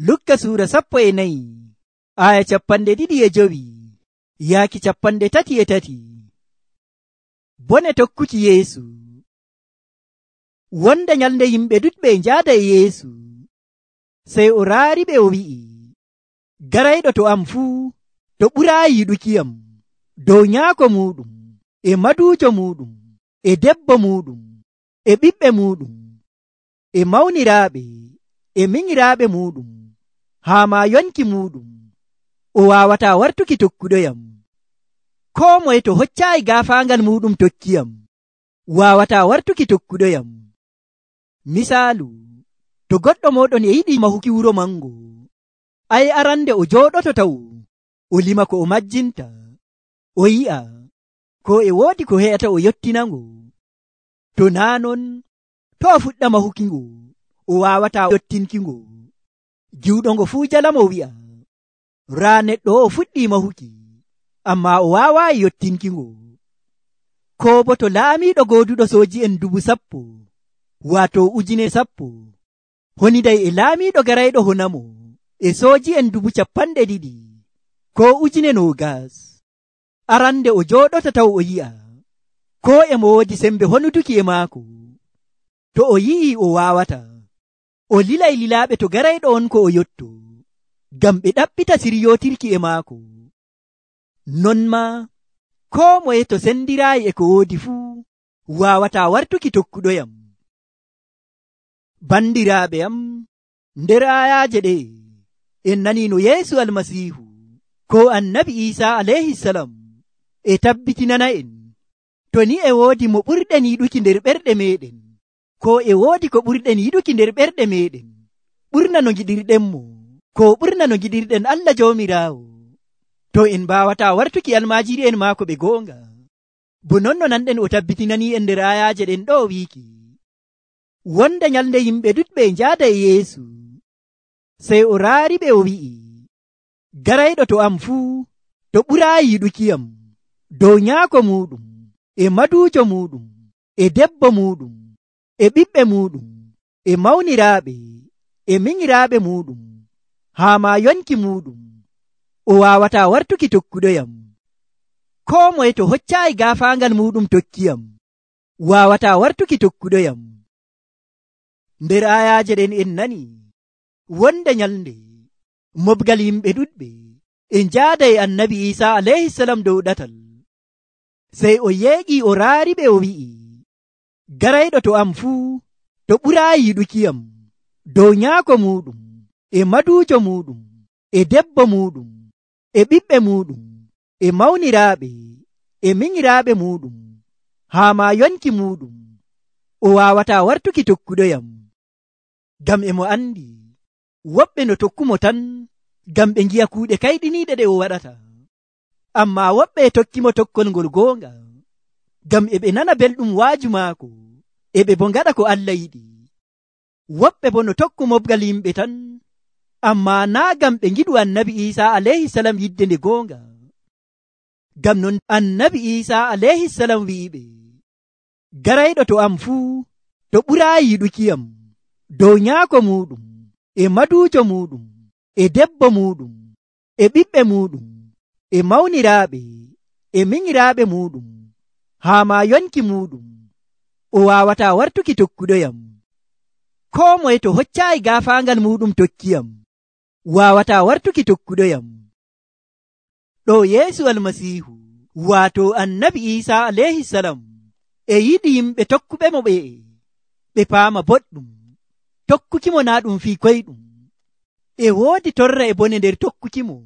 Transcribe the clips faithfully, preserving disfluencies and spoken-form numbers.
Lukka suura sappo e nayi aya capanɗe ɗiɗi e jowi yaaki capanɗe tati e tati. Bone tokkuki Yeesu. Wonde nyalnde yimɓe ɗuɗɓe e njaada e Yeesu, sey o raariɓe o wi'i, garayɗo to am fuu to ɓuraayi yiɗukiyam dow nyaako muɗum e maduujo muɗum e debbo muɗum e ɓiɓɓe muɗum e mawniraaɓe e minyiraaɓe muɗum haa ma yonki muɗum, o waawataa wartuki tokkuɗoyam. Koo moye to hoccaayi gaafaangal muɗum tokkiyam waawataa wartuki tokkuɗoyam. Misaalu, to goɗɗo moɗon e yiɗi mahuki wuro mango, ay arande o jooɗoto taw o lima ko o majjinta, o yi'a ko e woodi ko he'ata o yottinango. To naa non, to o fuɗɗa mahukingo, o waawataa yottinkingo. Giwɗongo fuu jalamo wi'a, raa neɗɗo o fuɗɗi mahuki, amma o waawaayi yottinkingo. Ko bo to laamiiɗo gooduɗo sooji en dubu sappo, waato ujune sappo, honiday e laamiiɗo garayɗo honamo e sooji en dubu capanɗe ɗiɗi ko ujune noogas. Arande o jooɗota taw o yi'a ko e mo woodi sembe honutuki e maako. To o yi'i o waawata, o lilay lilaaɓe to garayɗo on ko o yotto, ngam ɓe ɗaɓɓita siryotirki e maako. Non ma, koo moye to sendiraayi e ko woodi fuu waawataa wartuki tokkuɗoyam. Bandiraaɓe am, nder ayaaje ɗe en nani no Yeesu Almasiihu ko Annabi Iisaa alayhisalam e tabbitinana en, to ni e woodi mo ɓurɗen yiɗuki nder ɓerɗe meɗen, ko e woodi ko ɓurɗen yiɗuki nder ɓerɗe meɗen, ɓurna no giɗirɗenmo, ko ɓurna no giɗirɗen Allah Joomiraawo, to en mbawataa wartuki almaajiri en maako ɓe goonga. Bo non no nanɗen o tabbitinani en nder ayaaje ɗen ɗo wiiki, wonde nyalnde yimɓe ɗuɗɓe e njaada e Yeesu, sey o raariɓe o wi'i, garayɗo to am fuu to ɓuraayi yiɗukiyam dow nyaako muɗum e maduujo muɗum e debbo muɗum e ɓiɓɓe muɗum e mawniraaɓe e minyiraaɓe muɗum haa ma yonki muɗum, o waawataa wartuki tokkuɗoyam. Koo moye to hoccaayi gaafaangal muɗum tokkiyam waawataa wartuki tokkuɗoyam. Nder ayaaje ɗen en nani wonde nyalnde mobgal yimɓe ɗuɗɓe e njaada e Annabi Iisaa alayhisalam dow ɗatal, sey o yeeƴi o raariɓe o wi'i, garayɗo to am fuu to ɓuraayi yiɗukiyam dow nyaako muɗum e maduujo muɗum e debbo muɗum e ɓiɓɓe muɗum e mawniraaɓe e minyiraaɓe muɗum haa ma yonki muɗum, o waawataa wartuki tokkuɗoyam. Ngam e mo andi woɓɓe no tokkumo tan ngam ɓe ngi'a kuuɗe kayɗiniiɗe ɗe o waɗata, amma woɓɓe e tokkimo tokkol ngol goonga ngam e ɓe nana belɗum waaju maako, e ɓe bo ngaɗa ko Allah yiɗi. Woɓɓe bo no tokku mobgal yimɓe tan, amma naa ngam ɓe ngiɗu Annabi Iisaa alayhisalam yidde nde goonga. Ngam non Annabi Iisaa alayhisalam wi'iɓe, garayɗo to am fuu to ɓuraayi yiɗukiyam dow nyaako muɗum e maduujo muɗum e debbo muɗum e ɓiɓɓe muɗum e mawniraaɓe e minyiraaɓe muɗum haa ma yonki muɗum, o waawataa wartuki tokkuɗoyam. Koo moye to hoccaayi gaafaangal muɗum tokkiyam waawataa wartuki tokkuɗoyam. Ɗo Yeesu Almasiihu waato Annabi Iisaa alayhisalam e yiɗi yimɓe tokkuɓe mo ɓe ɓe paama boɗɗum, tokkukimo naa ɗum fii koyɗum, e woodi torra e bone nder tokkukimo.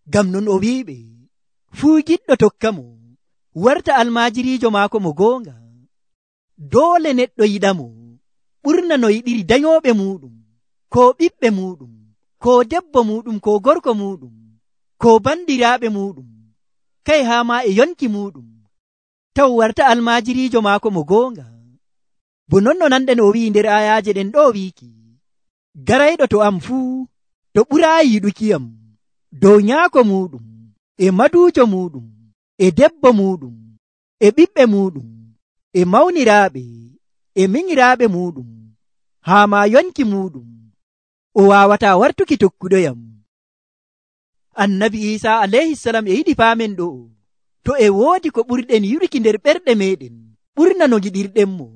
Ngam non o wi'iɓe, fuu giɗɗo tokkamo warta almaajiriijo maako mo goonga. Doole neɗɗo yiɗamo ɓurna no yiɗiri danyooɓe muɗum, ko ɓiɓɓe muɗum, ko debbo muɗum, ko gorko muɗum, ko bandiraaɓe muɗum, kay haa ma e yonki muɗum, taw warta almaajiriijo maako mo goonga. Bo non no nanɗen o wi'i nder ayaaje ɗen ɗo wiiki, garayɗo to am fuu to ɓuraayi yiɗukiyam dow nyaako muɗum e maduujo muɗum e debbo muɗum e ɓiɓɓe muɗum e mawniraaɓe e minyiraaɓe muɗum haa ma yonki muɗum, o waawataa wartuki tokkuɗoyam. Annabi Iisaa alayhisalam e yiɗi paamen ɗo, to e woodi ko ɓurɗen yiɗuki nder ɓerɗe meɗen ɓurna no giɗirɗenmo,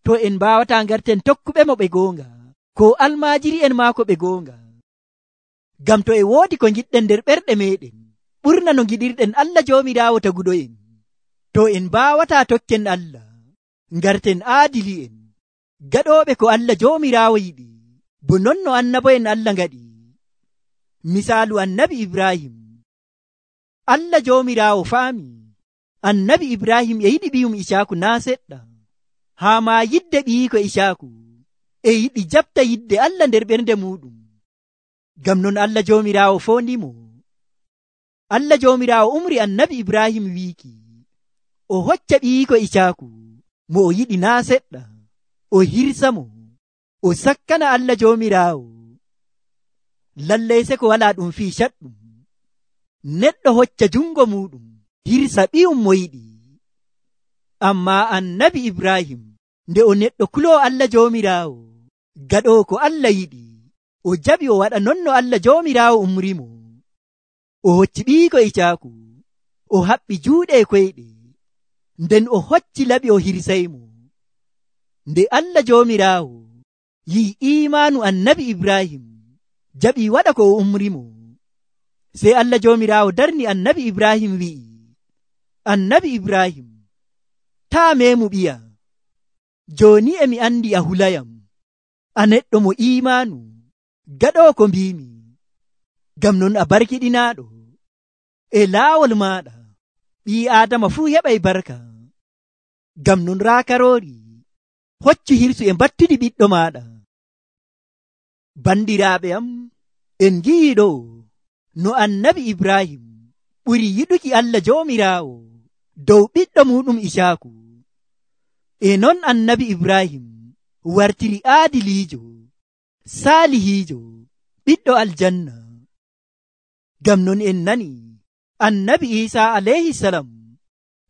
to en mbaawataa ngarten tokkuɓe mo ɓe goonga, ko almaajiri en maako ɓe goonga. Ngam to e woodi ko giɗɗen nder ɓerɗe meɗen ɓurna no giɗirɗen Allah Joomiraawo taguɗo'en, to en mbaawataa tokken Allah, ngarten aadili'en, gaɗooɓe ko Allah Joomiraawo yiɗi, bo non no annabo'en Allah ngaɗi. Misaalu annabi Ibrahim. Allah Joomiraawo faami annabi Ibrahim e yiɗi ɓiyum Isaaku naa seɗɗa, haa maa yidde ɓiiko Isaaku e yiɗi jaɓta yidde Allah nder ɓernde muɗum. Ngam non Allah Joomiraawo foondimo. Allah Joomiraawo umri annabi Ibrahim wiiki o hocca ɓiiko Isaaku mo o yiɗi naa seɗɗa, o hirsa mo, o sakkana Allah Joomiraawo. Lallay se ko walaa ɗum fii caɗɗum, neɗɗo hocca jungo muɗum hirsa ɓiyum mo yiɗi. Ammaa annabi Ibrahim nde o neɗɗo kuloo Allah Joomiraawo, gaɗoo ko Allah yiɗi, o jaɓi o waɗa non no Allah Joomiraawo umrimo. O hocci ɓiiko Isaaku, o haɓɓi juuɗe koyɗe, nden o hocci laɓi o hirsaymo. Nde Allah Joomiraawo yi'i iimaanu annabi Ibrahim, jaɓi waɗa ko o umrimo. Sey Allah Joomiraawo darni annabi Ibrahim wi'i, annabi Ibrahim, taa meemu ɓiya, jooni e mi andi a hulayam, a neɗɗo mo iimaanu, gaɗoo ko mbiimi. Ngam non a barkiɗinaaɗo, e laawol maaɗa ɓii Aadama fuu heɓay barka. Ngam non raa karoori hoccu hirsu e mbattuɗi ɓiɗɗo maaɗa. Bandiraaɓe am, en ngi'i ɗo no annabi Ibrahim ɓuri yiɗuki Allah Joomiraawo dow ɓiɗɗo muɗum Isaaku. E non annabi Ibrahim wartiri aadiliijo, saalihiijo, ɓiɗɗo aljanna. Ngam non en nani annabi Iisaa alayhisalam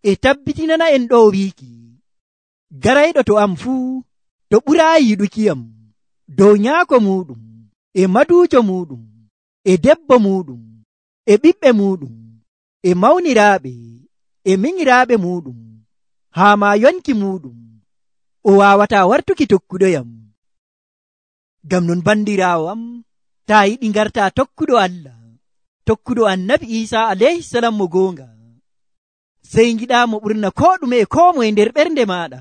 e tabbitinana en ɗo wiiki, garayɗo to am fuu to ɓuraayi yiɗukiyam dow nyaako muɗum, e maduujo muɗum, e debbo muɗum, e ɓiɓɓe muɗum, e mawniraaɓe, e minyiraaɓe muɗum, haa maa yonki muɗum, o waawataa wartuki tokkuɗoyam. Ngam non bandiraawo am, taa yiɗi ngartaa tokkuɗo Allah, tokkuɗo annabi Iisaa alayhisalam mo goonga, sey ngiɗaa mo ɓurna koo ɗume e koo moye nder ɓernde maaɗa,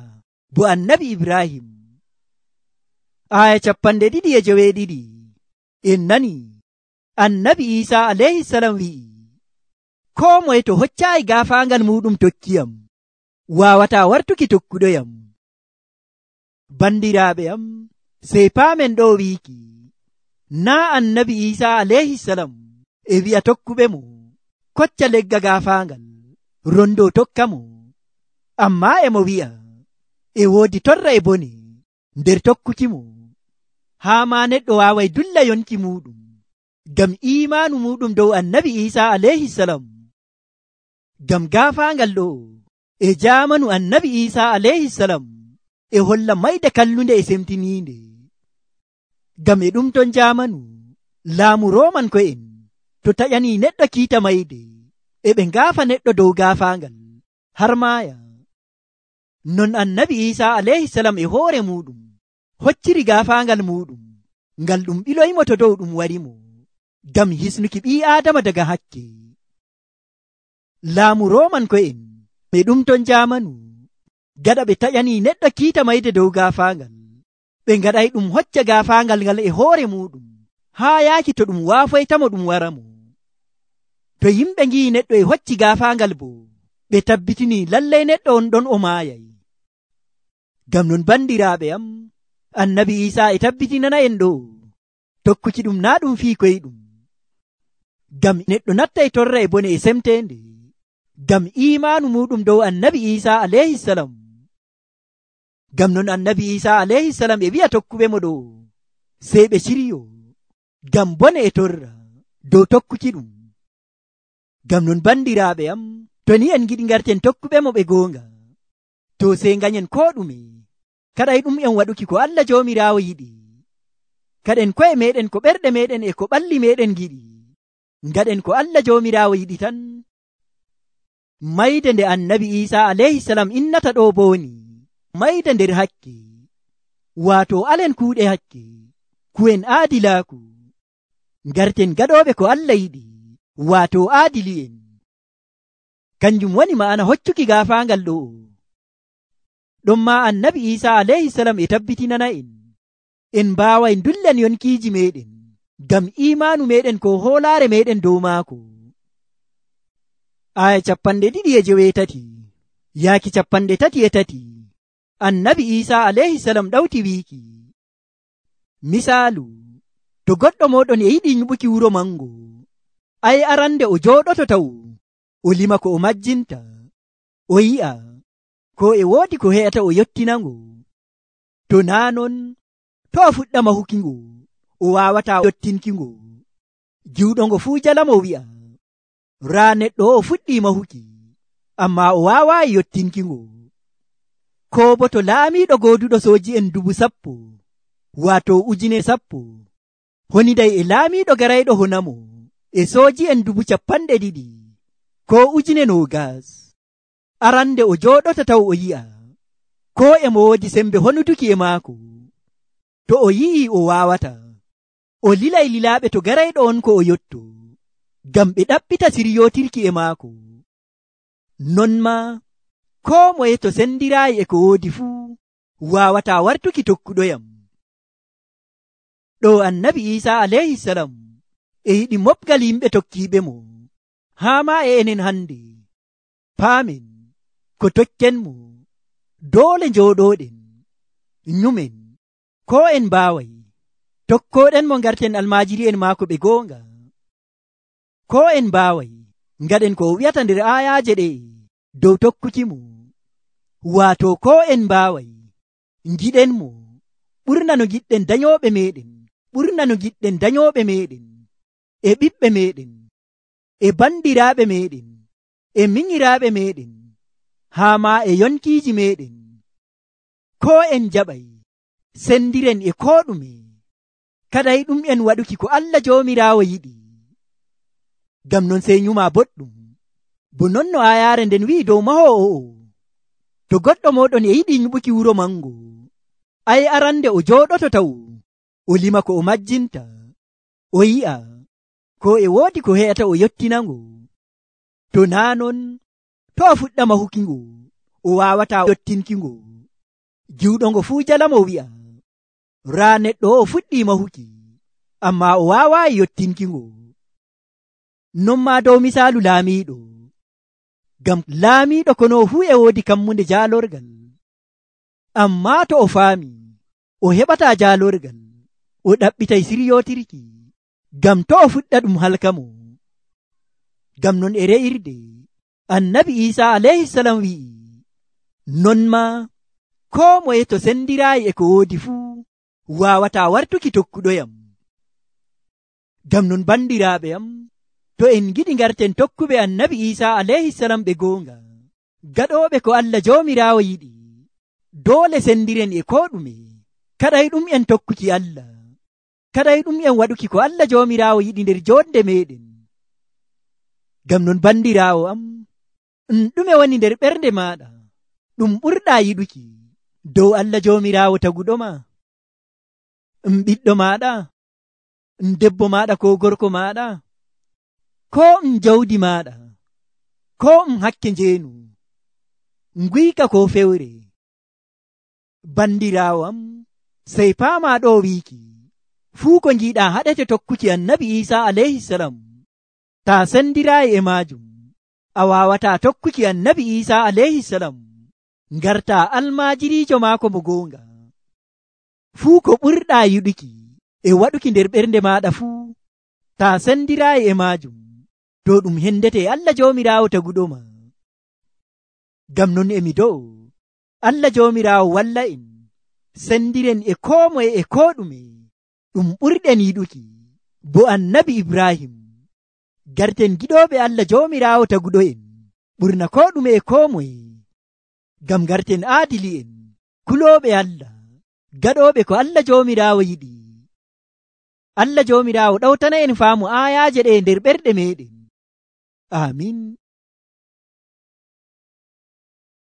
bo annabi Ibrahim. Aya capanɗe ɗiɗi e joweeɗiɗi en nani annabi Iisaa alayhisalam wi'i, koo moye to hoccaayi gaafaangal muɗum tokkiyam, waawataa wartuki tokkuɗoyam. Bandiraaɓe am, sey paamen ɗo wiiki, naa annabi Iisaa alayhisalam e wi'a tokkuɓe mo, kocca legga gaafaangal, rondo tokka mo, ammaa e mo wi'a e woodi torra e bone nder tokkuki mo, haa maa neɗɗo waaway dulla yonki muɗum, ngam iimaanu muɗum dow annabi Iisaa alayhisalam. Ngam gaafaangal ɗo e jaamanu annabi Iisaa alayhisalam e holla mayde kallunde e semtiniinde. Ngam e ɗum ton jaamanu laamu Rooman ko'en to taƴanii neɗɗo kiita mayde, e ɓe ngaafa neɗɗo dow gaafaangal har maaya. Non annabi Iisaa alayhisalam e hoore muɗum hocciri gaafaangal muɗum, ngal ɗum ɓiloymo to dow ɗum warimo, ngam hisnuki ɓii Aadama daga hakke. Laamu Rooman ko'en ɓe ɗum ton jaamanu, gaɗa ɓe taƴanii neɗɗo kiita mayde dow gaafaangal, ɓe ngaɗay ɗum hocca gaafaangal ngal e hoore muɗum, haa yaaki to ɗum waafoytamo ɗum waramo. To yimɓe ngi'i neɗɗo e hocci gaafaangal bo, ɓe tabbitinii lallay neɗɗo on ɗon o maayay. Ngam non bandiraaɓe am, annabi Iisaa e tabbitinana en ɗo tokkuki ɗum naa ɗum fii koyɗum, ngam neɗɗo nattay torra e bone e semteende, ngam iimaanu muɗum dow annabi Iisaa alayhisalam. Ngam non annabi Iisaa alayhisalam e wi'a tokkuɓe mo ɗo, sey ɓe ciryo ngam bone e torra dow tokkuki ɗum. Ngam non bandiraaɓe am, to ni en giɗi ngarten tokkuɓe mo ɓe goonga, to sey nganyen koo ɗume kaɗay ɗum en waɗuki ko Allah Joomiraawo yiɗi. kaɗen ko'e meɗen ko ɓerɗe meɗen e ko ɓalli meɗen giɗi, ngaɗen ko Allah jomirawo yiɗi tan. Mayde nde annabi Isa alayhi salam innata ɗo boni mayde nder hakke, wato alen kuuɗe hakke, ku'en aadilaaku, ngarten gaɗoɓe ko Allah yiɗi, wato aadili'en. Kanjum woni ma'ana hoccuki gaafaangal ɗo. Ɗon ma annabi Isa alayhi salam e tabbitinana en en mbawai dullen yonkiji meɗen ngam imanu meɗen ko hoolare meɗen dow maako. Aya capanɗe ɗiɗi e jewetati yaaki capanɗe tati e tati annabi Isa alayhi salam ɗawti wiiki, misaalu, to goɗɗo moɗon e yiɗi nyiɓuki wuro mango, ay arande o jooɗoto taw o lima ko o majjinta, o yi'a ko e woodi ko he'ata o yottinango. To naa non, to a fuɗɗa mahukingo, o wawata yottinkingo. Juuɗongo fuu jalamo wi'a, raa neɗɗo o fuɗɗi mahuki, amma o wawayi yottinkingo. Ko bo to laamiɗo gooduɗo sooji en dubu sappo, wato ujune sappo, honiday e laamiɗo garayɗo honamo e sooji en dubu capanɗe ɗiɗi, ko ujune nogas. Arande o jooɗota taw o yi'a ko e mo woodi sembe honuduki e maako. To o yi'i o wawata, o lilay lilaaɓe to garayɗo on ko o yotto, ngam ɓe ɗaɓɓita siryotirki e maako. Non ma ko moye to sendiraayi e ko woodi fuu wawata wartuki tokkuɗoyam. Ɗo annabi Isa alayhi salam e yiɗi mofgal yimɓe tokkiɓe mo, haa ma e enen hande paamen ko tokkenmo doole njooɗoɗen nyumen ko en mbaway tokkoɗen mo ngarten almajiri en maako ɓe goonga, ko en mbaway ngaɗen ko o wi'ata nder ayaje ɗe dow tokkukimo, wato ko en mbaway ngiɗen mo ɓurna no giɗɗen dayoɓe meɗen, ɓurna no giɗɗen dayoɓe meɗen e ɓiɓɓe meɗen e bandiraɓe meɗen e minyiraɓe meɗen, haa ma e yonkiji meɗen. Ko en jaɓay sendiren e ko ɗume, kaday ɗum en waɗuki ko Allah jomirawo yiɗi. Ngam non sey nyuma boɗɗum, bo non no ayare nden wi'i dow mahowo o, to goɗɗo moɗon e yiɗi nyiɓuki wuro mango, ay arande o jooɗoto taw o lima ko o majjinta, o yi'a ko e woodi ko he'ata o yottinango. To naa non, to a fuɗɗa mahukingo, o wawata yottinkingo. Juuɗongo fuu jalamo wi'a, raa neɗɗo o fuɗɗi mahuki, amma o wawayi yottinkingo. Non ma dow misaalu laamiɗo, ngam laamiɗo kono fuu e woodi kammunde jaalorgal, amma to o faami o heɓata jaalorgal, o ɗaɓɓitay siryotirki, ngam to o fuɗɗa ɗum halkamo. Ngam non e re'irde annabi Isa alayhi salam wi'i, non ma ko moye to sendiraayi e ko woodi fuu wawata wartuki tokkuɗoyam. Ngam non bandiraaɓe am, to en giɗi ngarten tokkuɓe annabi Isa alayhi salam ɓe goonga, gaɗoɓe ko Allah jomirawo yiɗi, doole sendiren e ko ɗume, kaɗay ɗum en tokkuki Allah, kaɗay ɗum en waɗuki ko Allah jomirawo yiɗi nder jonde meɗen. Ngam non bandirawo am, ɗume woni nder ɓernde maɗa ɗum ɓurɗa yiɗuki dow Allah jomirawo taguɗoma? Ɓiɗɗo maɗa, debbo maɗa ko gorko maɗa, ko um jawdi maɗa, ko um hakke njeenu, nguyka ko fewre? Bandirawo am, sey paama ɗo wiiki, fuu ko ngiɗa haɗete tokkuki annabi Isa alayhi salam, ta sendiraayi e majum, a wawata tokkuki annabi Isa alayhi salam, ngarta almajirijo maako mo goonga. Fuu ko ɓurɗa yiɗuki e waɗuki nder ɓernde maɗa fuu, ta sendiraayi e majum, to ɗum hendete Allah jomirawo taguɗoma. Ngam non emi dow Allah jomirawo walla en sendiren e ko moye e ko ɗume ɗum ɓurɗen yiɗuki, bo annabi Ibrahim, garten giɗoɓe Allah jomirawo taguɗo en ɓurna ko ɗume e ko moye, ngam garten aadili en kuloɓe Allah, gaɗoɓe ko Allah jomirawo yiɗi. Allah joomiraawo ɗawtana en faamu aayaaje ɗe nder ɓerɗe meɗen. Aamin.